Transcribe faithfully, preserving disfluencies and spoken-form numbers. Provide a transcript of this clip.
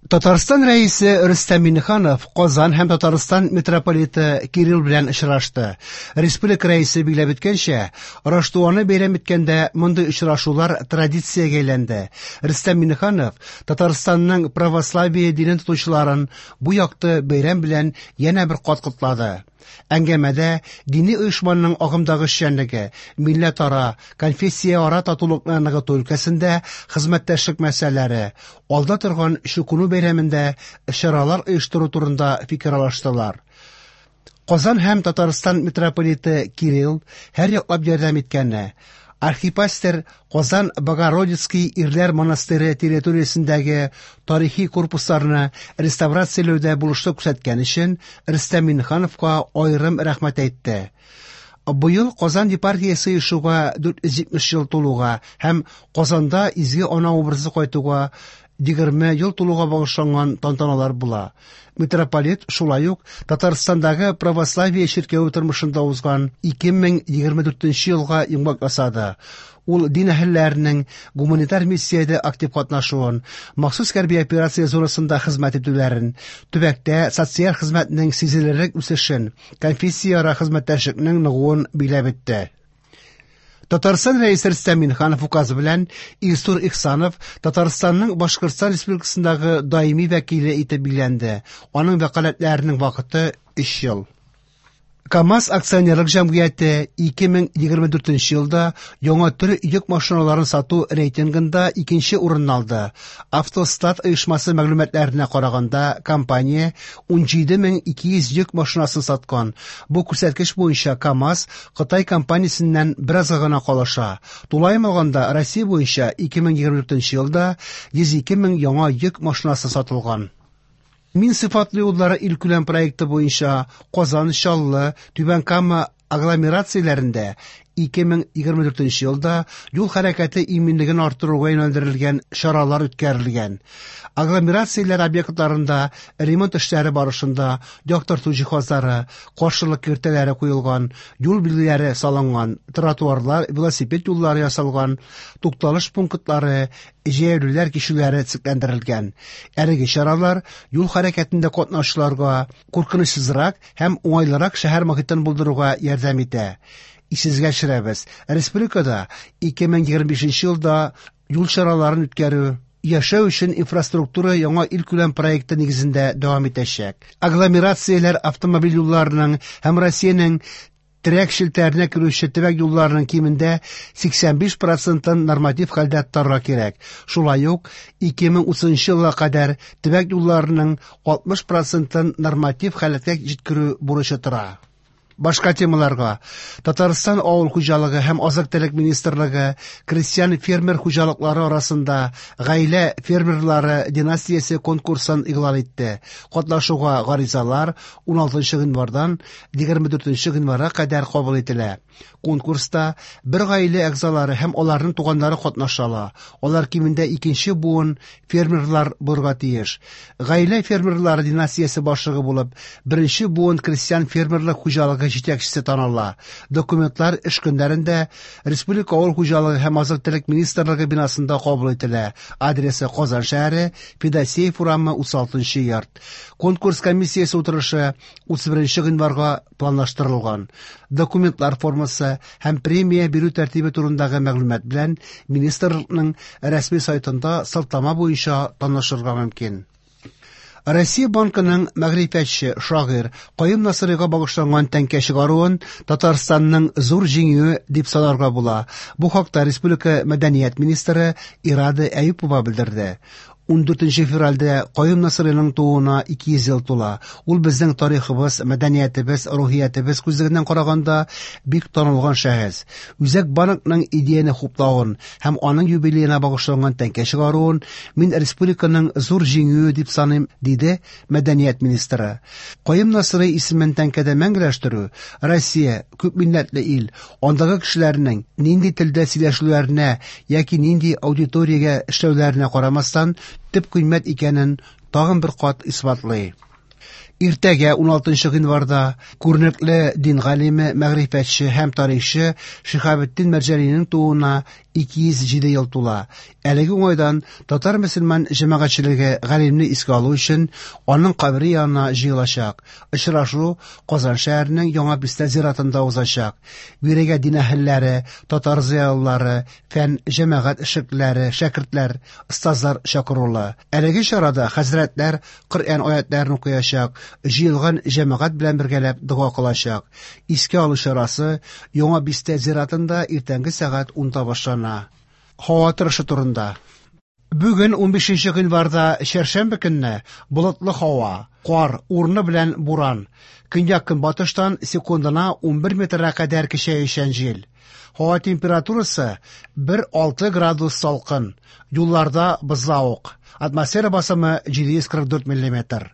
Татарстан Рәисе Рөстәм Миңнеханов Казан һәм Татарстан митрополиты Кирилл белән очрашты. Республика Рәисе билгеләп үткәнчә, Раштуаны бәйрәм иткәндә мондый очрашулар традициягә әйләнде. Рөстәм Миңнеханов Татарстанның православие динен тотучыларын бу якты бәйрәм белән янә бер кат котлады. Әңгәмәдә дини оешманың агымдагы эшчәнлеге, милләтара, конфессияара татулыкны ныгыту өлкәсендә хезмәттәшлек мәсьәләләре, алда торган Чукыну бәйрәмендә чаралар оештыру турында фикер алыштылар. Казан һәм Татарстан митрополиты Кирилл һәр яклап ярдәм иткәне, архипастырь Казан Богородицкий ирләр монастыре территориясендәге тарихи корпусларны реставрацияләүдә булышлык күрсәткән өчен Рөстәм Миңнехановка аерым рәхмәт әйтте. Быел Казан епархиясе оешуга дүрт йөз җитмеш ел тулуга һәм Казанда Изге Ана образы кайтуга егерме ел тулуга багышланган тантаналар була. Митрополит шулай ук Татарстандагы православие чиркәве тормышында узган ике мең егерме дүртенче елга йомгак ясады. Ул дин әһелләренең гуманитар миссиядә актив катнашуын, махсус хәрби операция зонасында хезмәт итүләрен, төбәктә социаль хезмәтнең сизелерлек үсешен, конфессияара хезмәттәшлекнең ныгуын билгеләп үтте. Татарстан Рәисе Рөстәм Миңнеханов указы белән Илсур Ихсанов Татарстанның Башкортстан Республикасындагы даими вәкиле итеп билгеләнде. Аның вәкаләтләренең вакыты өч ел. КАМАЗ акционерлык җәмгыяте ике мең егерме дүртенче елда яңа төр йөк машиналарын сату рейтингында икенче урынны алды. Автостат оешмасы мәгълүматларына караганда, компания ун җиде мең ике йөз йөк машинасын саткан. Бу күрсәткеч буенча КАМАЗ Кытай компаниясеннән беразга гына калыша. Тулаем алганда, Россия буенча ике мең егерме дүртенче елда йөз ике мең яңа йөк машинасы сатылган. Мин сыйфатлы юллары илкүләм проекты буенча Казан, Чаллы, Түбән Кама агломерацияләрендә ике мең егерме дүртенче елда юл хәрәкәте иминлеген арттыруга юнәлдерелгән чаралар үткәрелгән. Агломерацияләр объектларында ремонт эшләре барышында яктырту җиһазлары, каршылык киртәләре куелган, юл билгеләре салынган, тротуарлар, велосипед юллары ясалган, тукталыш пунктлары, җәяүлеләр кичүләре төзекләндерелгән. Әлеге чаралар юл хәрәкәтендә катнашучыларга куркынычсызрак һәм уңайлырак шәһәр мохитен булдыруга ярдәм итә. Исегезгә төшерәбез, республикада ике мең егерме бишенче елда юл чараларын үткәрү яшәү өчен инфраструктура яңа илкүләм проекты нигезендә дәвам итәчәк. Агломерацияләр автомобиль юлларының һәм Россиянең терәк челтәренә керүче төбәк юлларының кимендә сиксән биш процентын норматив хәлдә тотарга кирәк. Шулай ук ике мең утызынчы елга кадәр төбәк юлларының алтмыш процентын норматив халәткә җиткерү бурычы тора. Башка темаларга Татарстан Авыл хуҗалыгы һәм азык-төлек министрлыгы крестьян фермер хуҗалыклары арасында гаилә фермерлары династиясе конкурсын игълан итте. Катнашуга гаризалар ун алтынчы гыйнвардан егерме дүртенче гыйнварга кадәр кабул ителә. Конкурста бер гаилә әгъзалары һәм аларның туганнары катнаша ала. Алар кимендә икенче буын фермерлар булырга тиеш. Гаилә фермерлары династиясе башлыгы булып, беренче буын крестьян фермерлык хуҗалыгы җитәкчесе таныла. Документлар эш көннәрендә Республика Авыл хуҗалыгы һәм азык-төлек министрлыгы бинасында кабул ителә. Адресы Казан шәһәре, Федосеев урамы, утыз алтынчы йорт. Конкурс комиссиясе утырышы утыз беренче гыйнварга планлаштырылган. Документлар формасы һәм премия бирү тәртибе турындагы мәгълүмат белән министрлыкның рәсми сайтында сылтама буенча танышырга мөмкин. Россия банкының мәгърифәтче, шагыйрь Каюм Насыйрига багышланган тәңкә чыгаруын Татарстанның зур җиңүе дип санарга була. Бу хакта республика мәдәният министры Ирада Әюпова белдерде. Ун дүртенче февральдә Каюм Насыйриның тууына ике йөз ел тула. Ул безнең тарихыбыз, мәдәниятебез, рухиятебез күзлегеннән караганда бик танылган шәхес. Үзәк банкның идеяне хуплавын һәм аның юбилеена багышланган тәңкә чыгаруын мин республиканың зур җиңүе дип саныйм, диде мәдәният министры. Каюм Насыйри исемен тәңкәдә мәңгеләштерү Россия күпмилләтле ил, андагы кешеләрнең нинди телдә сөйләшүләренә яки нинди аудиториягә эшләүләренә карамастан төп кыйммәт икәнен тагын бер кат исбатлый. Иртәгә, уналтынчы гыйнварда, күренекле дин галиме, мәгърифәтче һәм тарихчы Шиһабетдин Мәрҗанинең тууына ике йөз җиде ел тула. Әлеге уңайдан татар мөселман җәмәгатьчелеге галимне искә алу өчен аның кабере янына җыелачак. Очрашу Казан шәһәренең Яңа Бистә зиратында узачак. Бирегә дин әһелләре, татар зыялылары, фән, җәмәгать эшлеклеләре, шәкертләр, остазлар чакырулы. Әлеге чарада хәзрәтләр Коръән аятларын укыячак, җыелган җәмәгать белән бергәләп дога кылачак. Искә алу чарасы Яңа Бистә зиратында иртәнге сәгать унда башлана. Һава торышы турында. Бүген унбишенче гыйнварда чәршәмбе көнне болытлы һава, кар, урыны белән буран. Көньяк-көнбатыштан секундына унбер метрга кадәр көчәючән җил. Һава температурасы бер алты градус салкын. Юлларда бозлавык. Атмосфера басымы җиде йөз кырык дүрт миллиметр.